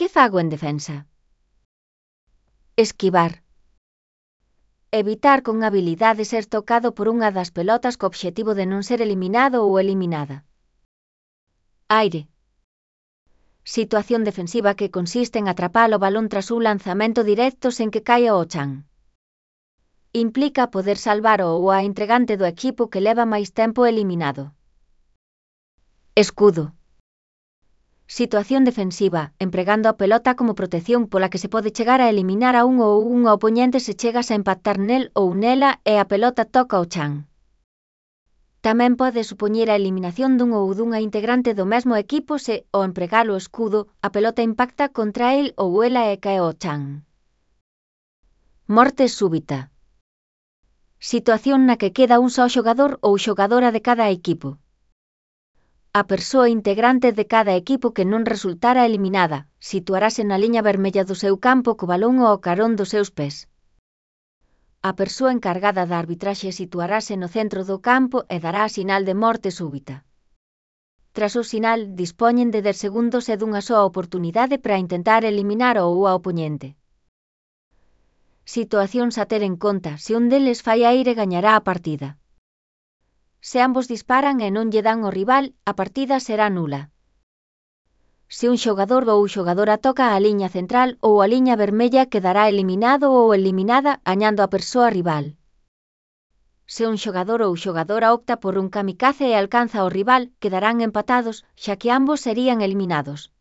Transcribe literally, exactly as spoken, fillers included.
Que fago en defensa? Esquivar. Evitar con habilidade ser tocado por unha das pelotas co obxectivo de non ser eliminado ou eliminada. Aire. Situación defensiva que consiste en atrapar o balón tras un lanzamento directo sen que caia ao chan. Implica poder salvar o a entregante do equipo que leva máis tempo eliminado. Escudo. Situación defensiva, empregando a pelota como protección pola que se pode chegar a eliminar a un ou un opoñente se chegas a impactar nel ou nela e a pelota toca o chan. Tamén pode supoñer a eliminación dun ou dunha integrante do mesmo equipo se, ao empregar o escudo, a pelota impacta contra el ou ela e cae ao chan. Morte súbita. Situación na que queda un só xogador ou xogadora de cada equipo. A persoa integrante de cada equipo que non resultara eliminada, situarase na liña vermella do seu campo co balón ao carón dos seus pés. A persoa encargada da arbitraxe situarase no centro do campo e dará a sinal de morte súbita. Tras o sinal, dispoñen de dez segundos e dunha soa oportunidade para intentar eliminar ao opoñente. Situacións a ter en conta: se un deles fai aire gañará a partida. Se ambos disparan e non lle dan ao rival, a partida será nula. Se un xogador ou xogadora toca a liña central ou a liña vermella quedará eliminado ou eliminada gañando a persoa rival. Se un xogador ou xogadora opta por un kamikaze e alcanza ao rival, quedarán empatados, xa que ambos serían eliminados.